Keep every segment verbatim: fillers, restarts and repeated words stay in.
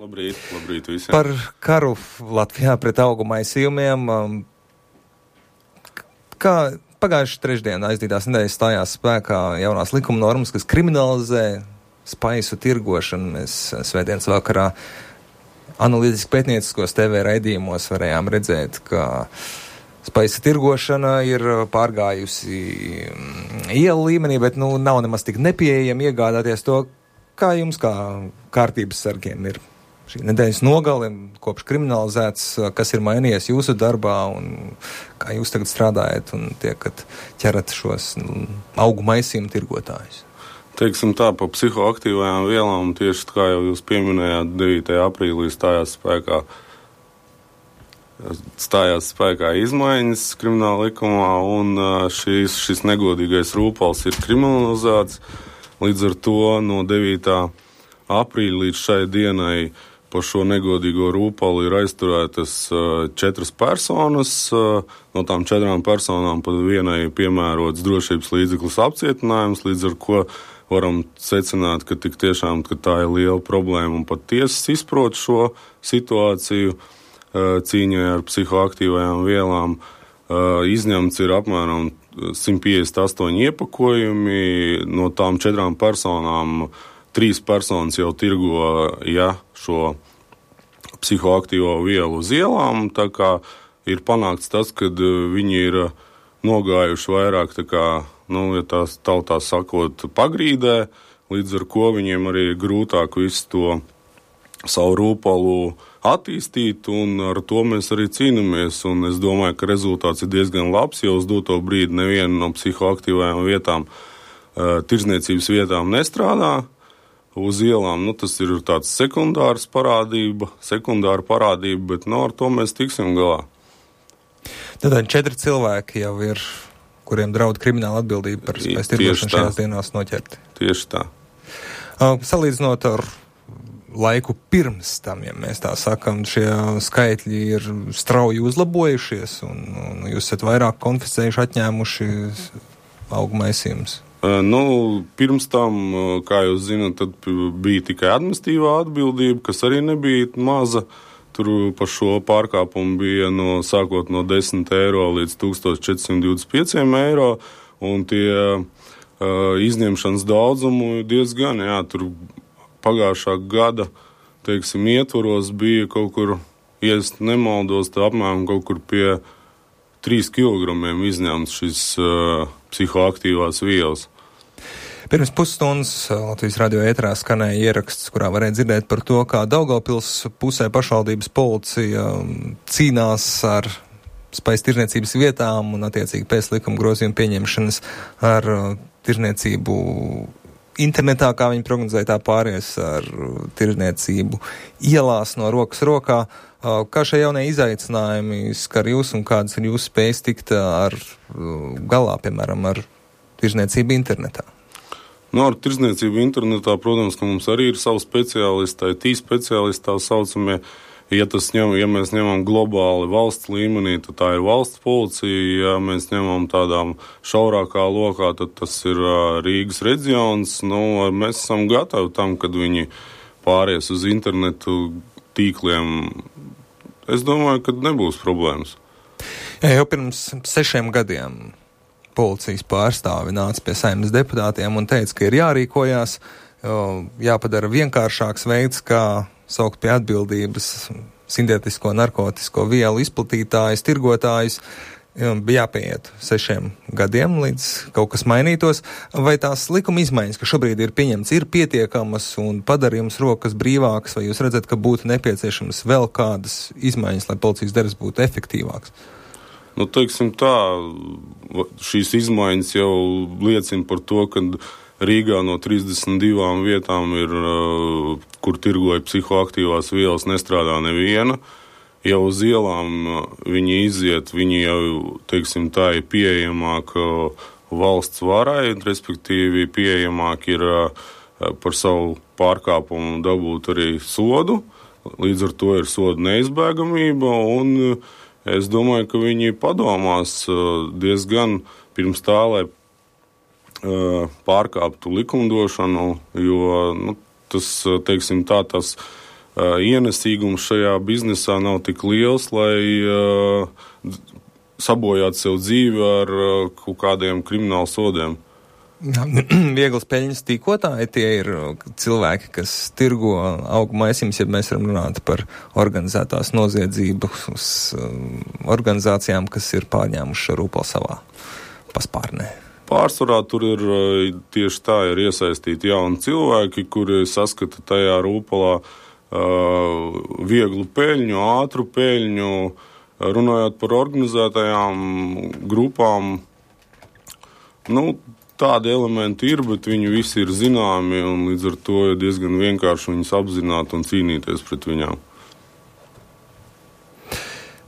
Labrīt, labrīt visiem. Par karu Latvijā pret augu maisījumiem. Kā pagājuši trešdien aizdītās nedēļas stājās spēkā jaunās likuma normas, kas kriminalizē spaisu tirgošanu. Mēs svētdienas vakarā analītiski pētnieciskos T V raidījumos varējām redzēt, ka spaisa tirgošana ir pārgājusi ielu līmenī, bet nu, nav nemaz tik nepieejami iegādāties to. Kā jums, kā kārtības sargiem, ir šī nedēļas nogale, kopš kriminalizēts, kas ir mainījies jūsu darbā un kā jūs tagad strādājat un tiekat ķerat šos nu, augu maisījumu tirgotājus? Teiksim tā, pa psihoaktīvajām vielām, tieši kā jau jūs pieminējāt, devītajā aprīlī stājās spēkā, stājās spēkā izmaiņas krimināla likumā, un šis, šis negodīgais rūpals ir kriminalizēts. Līdz ar to no devītā aprīļa līdz šai dienai par šo negodīgo rūpali ir aizturētas četras personas. No tām četrām personām pat vienai piemērots drošības līdzeklis apcietinājums, līdz ar ko varam secināt, ka tik tiešām ka tā ir liela problēma un pat tiesas izprot šo situāciju cīņai ar psihoaktīvajām vielām. Izņemts ir apmēram simt piecdesmit astoņi iepakojumi, no tām četrām personām trīs personas jau tirgo ja, šo psihoaktīvo vielu uz ielām, tā kā ir panākts tas, ka viņi ir nogājuši vairāk, tā kā, nu, ja tās tautā sakot, pagrīdē, līdz ar ko viņiem arī ir grūtāk visu to savu rūpalu attīstīt, un ar to mēs arī cīnāmies, un es domāju, ka rezultāts ir diezgan labs, jo uz doto brīdi neviena no psihoaktīvajām vietām, uh, tirdzniecības vietām nestrādā uz ielām. Nu, tas ir tāds sekundārs parādība, sekundāra parādība, bet no ar to mēs tiksim galā. Tātad četri cilvēki jau ir, kuriem draud krimināla atbildība par spējas tirgošanu šajās dienās noķerti. Tieši tā. Uh, salīdzinot ar laiku pirms tam, ja mēs tā sakam, šie skaitļi ir strauji uzlabojušies un, un jūs esat vairāk konfiscējuši, atņēmuši augu maisījumus? Nu, pirms tam, kā jūs zināt, tad bija tikai administratīvā atbildība, kas arī nebija maza. Tur par šo pārkāpumu bija no, sākot no desmit eiro līdz tūkstoš četri simti divdesmit pieci eiro, un tie uh, izņemšanas daudzumu diezgan, jā, tur pagājušā gada, teiksim, ietvaros bija kaut kur, ja es nemaldos, tā apmēram kaut kur pie trīs kilogramiem izņemts šis uh, psihoaktīvās vielas. Pirms pusstundas Latvijas radio ēterā skanēja ieraksts, kurā varēja dzirdēt par to, kā Daugavpils pusē pašvaldības policija cīnās ar spaisu tirniecības vietām un attiecīgi pēc likuma grozījuma pieņemšanas ar uh, tirniecību internetā, kā viņi prognozēja, tā pāries ar tirdzniecību ielās no rokas rokā. Kā šie jaunie izaicinājumi skar jūs un kādas ir jūsu spējas tikt ar galā, piemēram, ar tirdzniecību internetā? Nu, ar tirdzniecību internetā, protams, ka mums arī ir savu speciālistu, I T speciālisti tā saucamie. Ja, tas ņem, ja mēs ņemam globāli valsts līmenī, tad tā ir valsts policija. Ja mēs ņemam tādām šaurākā lokā, tad tas ir uh, Rīgas reģions. Nu, mēs esam gatavi tam, kad viņi pāries uz internetu tīkliem. Es domāju, ka nebūs problēmas. Jā, jau pirms sešiem gadiem policijas pārstāvi nāca pie Saeimas deputātiem un teica, ka ir jārīkojās, jāpadara vienkāršāks veids, kā saukt pie atbildības sintētisko narkotisko vielu izplatītājus, tirgotājus. Bija jāpieiet sešiem gadiem, līdz kaut kas mainītos. Vai tās likuma izmaiņas, kas šobrīd ir pieņemts, ir pietiekamas un padara jums rokas brīvākas, vai jūs redzat, ka būtu nepieciešamas vēl kādas izmaiņas, lai policijas darbs būtu efektīvāks? Nu, teiksim tā, šīs izmaiņas jau liecina par to, ka Rīgā no trīsdesmit divām vietām ir, kur tirgoja psihoaktīvās vielas, nestrādā neviena. Jau uz ielām viņi iziet, viņi jau, teiksim tā, ir pieejamāk valsts varai, respektīvi pieejamāk ir par savu pārkāpumu dabūt arī sodu. Līdz ar to ir soda neizbēgamība, un es domāju, ka viņi padomās diezgan pirms tā, lai pārkāptu likumdošanu, jo nu, tas, teiksim tā, tas uh, ienesīgums šajā biznesā nav tik liels, lai uh, sabojātu sev dzīvi ar uh, kaut kādiem kriminālu sodiem. Vieglas peļņas tīkotāji, tie ir cilvēki, kas tirgo augu maisiņus, ja mēs varam runāt par organizētās noziedzības organizācijām, kas ir pārņēmuši šo rūpali savā paspārnē. Pārsvarā tur ir tieši tā, ir iesaistīti jauni cilvēki, kuri saskata tajā rūpalā uh, vieglu peļņu, ātru peļņu, runājot par organizētajām grupām. Nu, tādi elementi ir, bet viņi visi ir zināmi, un līdz ar to ir diezgan vienkārši viņus apzināt un cīnīties pret viņām.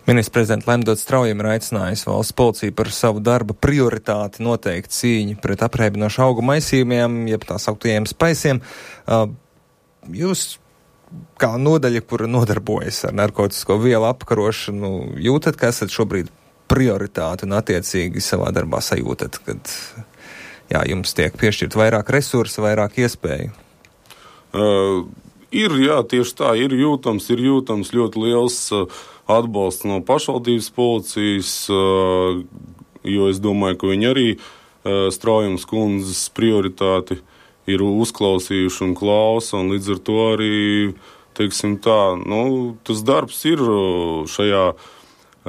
Ministrs prezidents Lemdots Straujam ir aicinājis valsts policiju par savu darba prioritāti noteikt cīņu pret apreibinošu augu maisījumiem, jeb tā sauktajiem spaisiem. Jūs, kā nodaļa, kura nodarbojas ar narkotisko vielu apkarošanu, jūtat, ka esat šobrīd prioritāti un attiecīgi savā darbā sajūtat, kad jā, jums tiek piešķirt vairāk resursu, vairāk iespēju? Uh, ir, jā, tieši tā, ir jūtams, ir jūtams ļoti liels uh, atbalsts no pašvaldības policijas, uh, jo es domāju, ka viņi arī uh, Straujams kundzes prioritāti ir uzklausījuši un klausa, un līdz ar to arī, teiksim tā, nu, tas darbs ir šajā uh,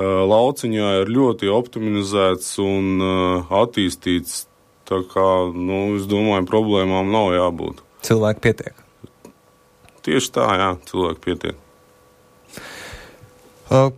lauciņā ir ļoti optimizēts un uh, attīstīts. Tā kā, nu, es domāju, problēmām nav jābūt. Cilvēki pietiek. Tieši tā, jā, cilvēki pietiek. Uh,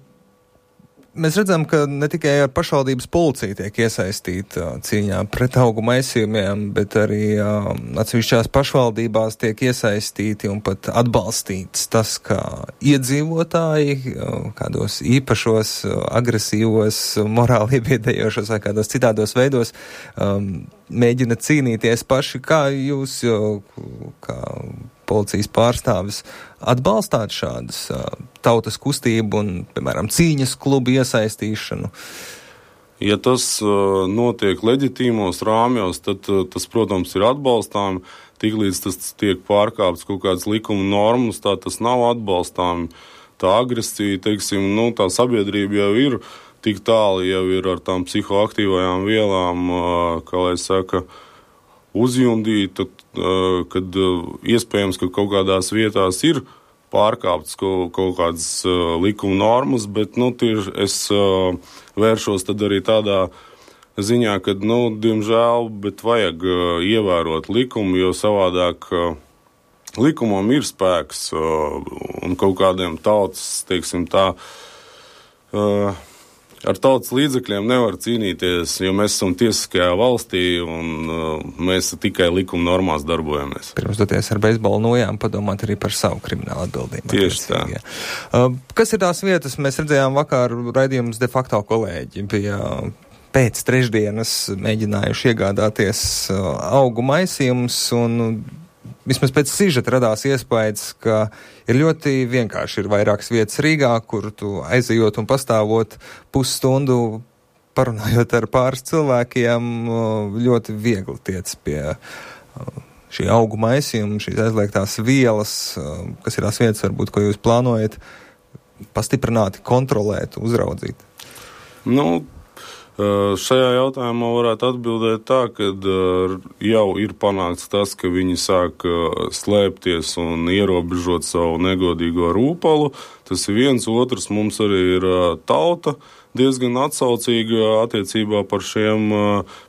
mēs redzam, ka ne tikai ar pašvaldības policiju tiek iesaistīta uh, cīņā pret augu maisījumiem, bet arī uh, atsevišķās pašvaldībās tiek iesaistīti un pat atbalstīts tas, ka iedzīvotāji uh, kādos īpašos, uh, agresīvos, morāli iebiedējošos vai kādos citādos veidos um, mēģina cīnīties paši. Kā jūs, jo, kā policijas pārstāvis, atbalstāt šādas uh, tautas kustību un, piemēram, cīņas klubu iesaistīšanu? Ja tas uh, notiek leģitīmos rāmjos, tad uh, tas, protams, ir atbalstām. Tiklīdz tas tiek pārkāpts kaut kādas likuma normas, tā tas nav atbalstām. Tā agresija, teiksim, nu, tā sabiedrība jau ir tik tālu, jau ir ar tām psihoaktīvajām vielām, kā lai saka, uzjundīta, kad iespējams, ka kaut kādās vietās ir pārkāptas kaut, kaut kādas likuma normas, bet, nu, tieši es vēršos tad arī tādā ziņā, ka, nu, diemžēl, bet vajag ievērot likumu, jo savādāk likumam ir spēks un kaut kādiem tautas, teiksim tā, ar tautas līdzekļiem nevar cīnīties, jo mēs esam tiesiskajā valstī un uh, mēs tikai likuma normās darbojamies. Pirms doties ar beisbolu nojām, padomāt arī par savu kriminālu atbildību. Tieši tā. Uh, kas ir tās vietas? Mēs redzējām vakar raidījumus de facto kolēģi. Bija pēc trešdienas mēģinājuši iegādāties uh, augu maisījumus un vismaz pēc sižeta radās iespējas, ka ir ļoti vienkārši. Ir vairākas vietas Rīgā, kur tu aizejot un pastāvot pusstundu, parunājot ar pāris cilvēkiem, ļoti viegli tiec pie šī augu maisījuma, šīs aizliegtās vielas, kas ir tās vietas, varbūt, ko jūs plānojat pastiprināti kontrolēt, uzraudzīt. Nu, šajā jautājumā varētu atbildēt tā, ka jau ir panākts tas, ka viņi sāk slēpties un ierobežot savu negodīgo rūpalu. Tas ir viens, otrs mums arī ir tauta diezgan atsaucīga attiecībā par šiem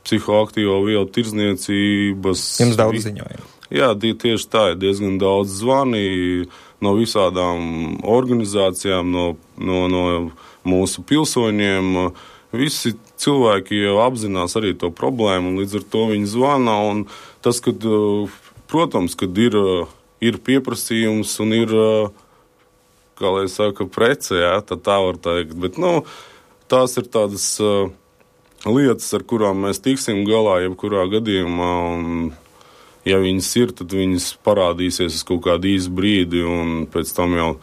psihoaktīvo vielu tirdzniecības. Jums daudz ziņoja. Jā, tieši tā, ir diezgan daudz zvani no visādām organizācijām, no, no, no mūsu pilsoņiem. Visi cilvēki jau apzinās arī to problēmu, un līdz ar to viņi zvana, un tas, kad, protams, kad ir, ir pieprasījums un ir, kā lai saka, prece, jā, tad tā var teikt, bet, nu, tās ir tādas uh, lietas, ar kurām mēs tiksim galā jebkurā gadījumā, un ja viņas ir, tad viņas parādīsies uz kaut kādu īsu brīdi, un pēc tam jau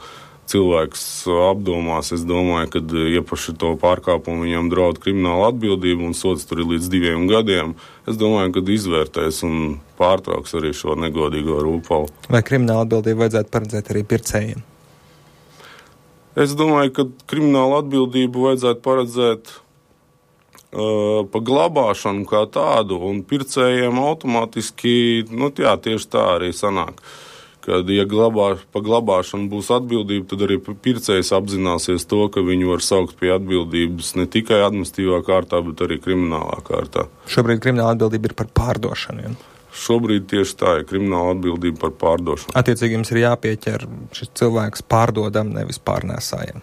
cilvēks apdomās, es domāju, ka iepaši to pārkāpumu viņam draud krimināla atbildība un sods tur ir līdz diviem gadiem. Es domāju, ka izvērtēs un pārtrauks arī šo negodīgo rūpalu. Vai krimināla atbildību vajadzētu paredzēt arī pircējiem? Es domāju, ka kriminālu atbildību vajadzētu paredzēt uh, pa glabāšanu kā tādu, un pircējiem automātiski, nu jā, tieši tā arī sanāk. Kad, ja glabā, pa glabāšanu būs atbildība, tad arī pircējs apzināsies to, ka viņu var saukt pie atbildības ne tikai administratīvā kārtā, bet arī kriminālā kārtā. Šobrīd krimināla atbildība ir par pārdošanu. Ja? Šobrīd tieši tā ir krimināla atbildība par pārdošanu. Attiecīgi jums ir jāpieķer šis cilvēks pārdodam, nevis pārnēsājam.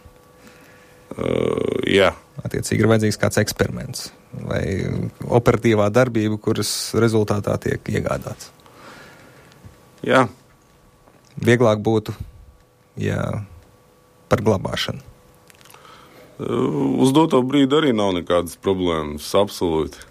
Uh, jā. Attiecīgi ir vajadzīgs kāds eksperiments vai operatīvā darbība, kuras rezultātā tiek iegādāts. Jā. Vieglāk būtu, ja par glabāšanu. Uz doto brīdi arī nav nekādas problēmas, absolūti.